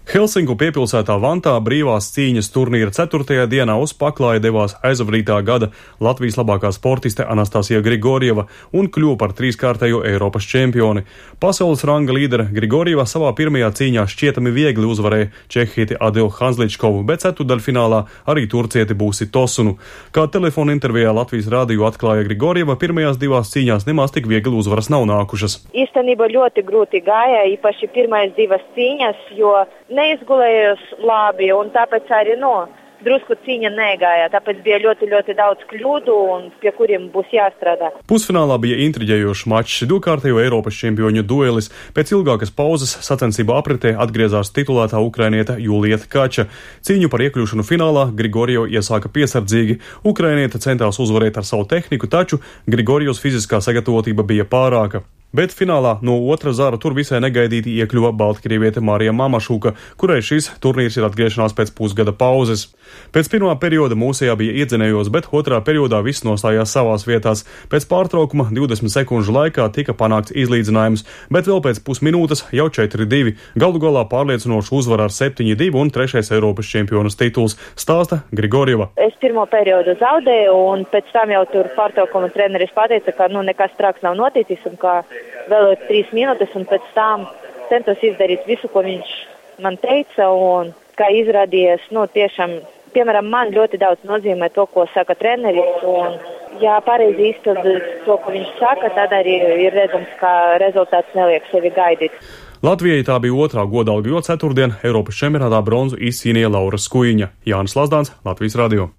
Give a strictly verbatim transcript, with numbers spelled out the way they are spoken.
Helsinku piepilsētā Vantā brīvās cīņas turnīra ceturtajā dienā uz paklāja devās aizvadītā gada Latvijas labākā sportiste Anastasija Grigorjeva un kļuva par trīskārtējo Eiropas čempioni. Pasaules ranga līdere Grigorjeva savā pirmajā cīņā šķietami viegli uzvarēja čehieti Adilu Hanzličkovu, bet ceturtdaļfinālā arī turcieti Būsi Tosunu. Kā telefona intervijā Latvijas rādiju atklāja Grigorjeva, pirmajās divās cīņās nemaz tik viegli uzvaras nav nākušas. Īstenībā ļoti grūti gāja, īpaši pirmais divas cīņas, jo neizgulējos labi, un tāpēc arī, no, drusku cīņa negāja, tāpēc bija ļoti, ļoti daudz kļūdu, un pie kuriem būs jāstrādā. Pusfinālā bija intriģējošs mačs, divkārtējo Eiropas čempioņu duelis. Pēc ilgākas pauzes sacensību apritē atgriezās titulētā ukrainiete Julija Tkača. Cīņu par iekļūšanu finālā Grigorjeva iesāka piesardzīgi. Ukrainiete centās uzvarēt ar savu tehniku, taču Grigorjevas fiziskā sagatavotība bija pārāka. Bet finālā no otra zara tur visai negaidīti iekļuva baltkrieviete Marija Mamašuka, kurai šis turnīrs ir atgriešanās pēc pusgada pauzes. Pēc pirmā perioda mūsējā bija iedzinējos, bet otrā periodā viss nostājās savās vietās. Pēc pārtraukuma divdesmit sekundžu laikā tika panākts izlīdzinājums, bet vēl pēc pusminūtes jau četri divi. Galu galā pārliecinošu uzvaru ar septiņi divi un trešais Eiropas čempionas tituls, stāsta Grigorjeva. Es pirmo periodu zaudēju, un pēc tam jau tur pārtraukuma treneris pateica, ka nu nekas traks nav noticis un ka vēl ir trīs minūtes, un pēc tam centos izdarīt visu, ko viņš man teica, un kā izrādījies, nu tiešām, piemēram, man ļoti daudz nozīmē to, ko saka treneris, un ja pareizi izpildu to, ko viņš saka, tad arī ir redzams, ka rezultāts neliek sevi gaidīt. Latvijai tā bija otrā godalga, jo ceturtdien Eiropas čempionātā bronzu izcīnīja Laura Skujiņa. Jānis Lazdāns, Latvijas radio.